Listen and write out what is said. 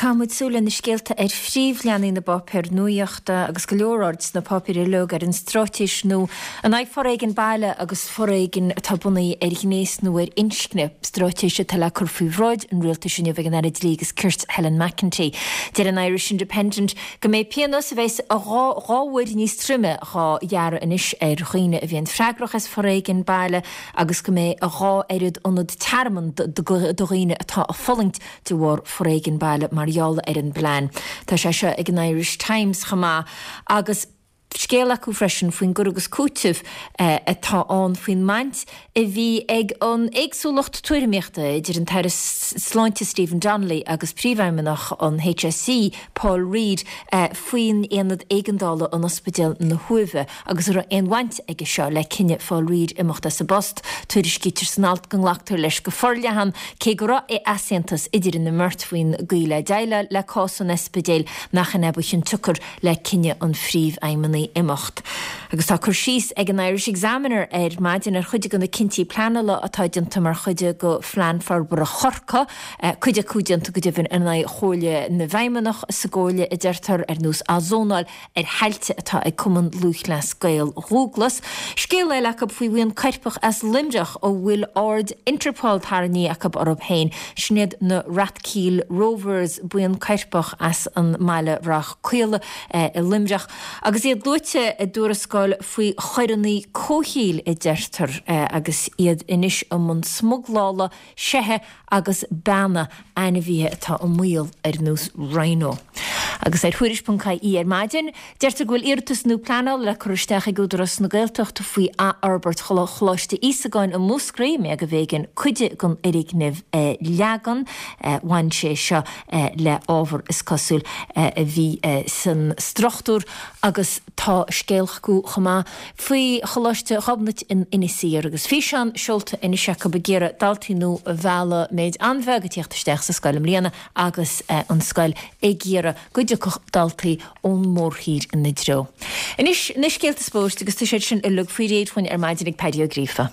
Caithfidh muid súil ar na scéalta ar phríomhleathanaigh na bpáipéar nuachta agus go leor aird sna páipéir uilig ar an straitéis nua in aghaidh foréigean baile agus foréigean atá bunaithe ar ghnéas nó ar inscne, straitéis atá le cur faoi bhráid an rialtais inniu ag an Aire Dlí agus Cirt Helen McEntee. Deir an Irish Independent go mbeidh pionós a bheas 2 uair níos troime dhá ghearradh anois ar dhaoine a bhíonn freagrach as foréigean baile agus go mbeidh a 2 oiread ionad tearmainn do dhaoine atá ag fulaingt de bharr foréigean baile mar gheall ar an bplean. Tá sé seo ag an Irish Times chomh maith agus scéal acu freisin faoin gcur agus cúiteamh atá ann faoin mbaint a bhí ag an éagsúlacht tuairimíochta idir an tAire Sláinte Stephen Donnelly agus Príomhfheidhmeannach an HSE Paul Reid faoin aonad éigeandála in Ospidéal na hUaimhe. Agus an raibh aon bhaint aige seo le cinneadh Phaul Reid imeacht as an bpost? Tuairiscítear san alt go nglactar leis go forleathan, cé go raibh easaontas idir an mbeirt faoin gcaoi le déileáil le cás an ospidéil, nach in é ba chionsiocair le cinneadh an phríomhfheidhmeannaigh imeacht. Agus tá cur síos ag an Irish Examiner ar maidin ar chuid de na cinntí pleanála atá déanta mar chuid de Phlean Forbartha Chorcaí, cuid acu déanta go deimhin in aghaidh chomhairle na bhfeidhmeannach sa gcomhairle, a deirtear, ar nós athzónáil ar thailte atá ag Cumann Lúthchleas Gael Dhúglas. Scéal eile acu faoi bhuíon coirpeach as Luimneach a bhfuil aird Interpol tarraingthe acu orthu féin. Sin iad na Rathkeale Rovers, buíon coirpeach as an mbaile Rath Caola i Luimneach agus iad luaite i dtuarascáil faoi choireanna comhshaoil a deirtear agus iad anois i mbun smuglála seithe agus beanna, ainmhithe atá i mbaol ar nós rhino. Agus ar Thuairisc.ie ar maidin, deirtear go bhfuil iarratas nua pleanála le cur isteach ag Údarás na Gaeltachta faoi athfhorbairt Choláiste Íosagáin i Múscraí, mé go mb'éigean cuid den fhoirgneamh a leagan. Bhain sé seo le ábhar, is cosúil, a bhí san struchtúr agus tá scéal acu chomh maith faoi Choláiste Ghobnait in Inis Oírr agus físeán seolta anois acu ag iarraidh daltaí nua a mhealladh, méid an-bheag ag tíocht isteach sa scoil i mbliana agus an scoil ag iarraidh go dtiocfadh daltaí ón mórthír ina dtreo. Anois na scéalta spóirt agus tá siad sin uilig faoi réir dhúinn ar maidin ag Paddy Ó Gríofa.